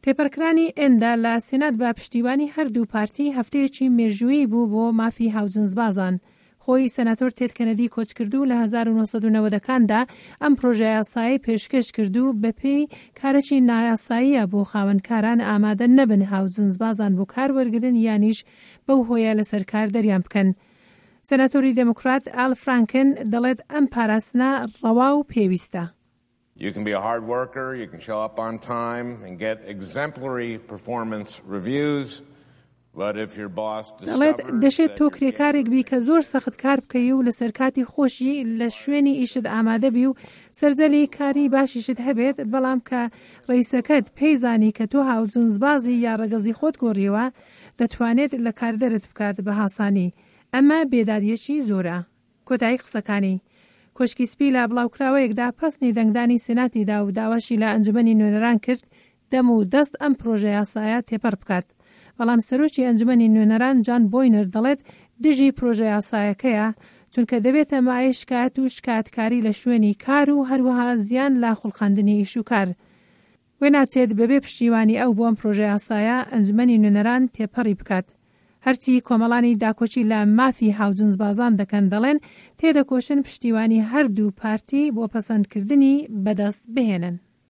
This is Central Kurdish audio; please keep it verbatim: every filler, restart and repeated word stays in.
تێپەڕکرانی ئێندا لە سێنات بە پشتیوانی هەردوو پارتی هەفتەیەکی مێژوویی بوو بۆ مافی هاوجنسبازان. خۆی سەناتۆر تێد کەنەدی کۆچکردو لە هەزار و نۆ سەد و نەوەد کاندا ئەم پرۆژە یاسایی پێشکەش کرد و بەپێی کارێکی نایاساییە بۆ خاوەنکاران ئامادە نەبن هاوجنسبازان بۆ کار وەرگرن یانیش بەو هۆیە لەسەر کار دەریان بکەن. سەناتۆری دێموکرات ئال فرانکن دەڵێت ئەم پاراستنە ڕەوا و پێویستە. You can be a hard worker, you can show up on time and get exemplary performance reviews. دەڵێت دەشێت تۆ کرێکارێک بی کە زۆر سەخت کار بکەی و لەسەر کاتی خۆشی لە شوێنی ئیشت ئامادە بی و سەرزەلی کاری باشیشت هەبێت، بەڵام کە ڕئیسەکەت پێی زانی کە تۆ هاوجنسبازی یا ڕەگەزی خۆت گۆڕیوە، دەتوانێت لە کار دەرت بکات بە هاسانی. ئەمە بێدادیەکی زۆرە. کۆتایی قسەکانی. کۆشکی سپی لە بڵاوکراوەیەکدا پەسنی دەنگدانی سێناتیدا و داواشی لە ئەنجومەنی نوێنەران کرد دەم و دەست ئەم پرۆژە یاسایە تێپەڕ بکات. بەڵام سەرۆکی ئەنجومەنی نوێنەران جان بۆینەر دەڵێت دژی پرۆژە یاسایەکەیە، چونکە دەبێتە مایەی شکایەت و شکایەتکاری لە شوێنی کار و هەروەها زیان لە خوڵقاندنی ئیش و کار. وێناچێت بەبێ پشتیوانی ئەو بۆ ئەم پرۆژە یاسایە ئەنجومەنی نوێنەران تێپەڕی بکات. هەرچی کۆمەڵانی داکۆکی لە مافی هاوجنسبازان دەکەن دەڵێن تێدەکۆشن پشتیوانی هەردوو پارتی بۆ پەسەندکردنی بەدەست بهێنن.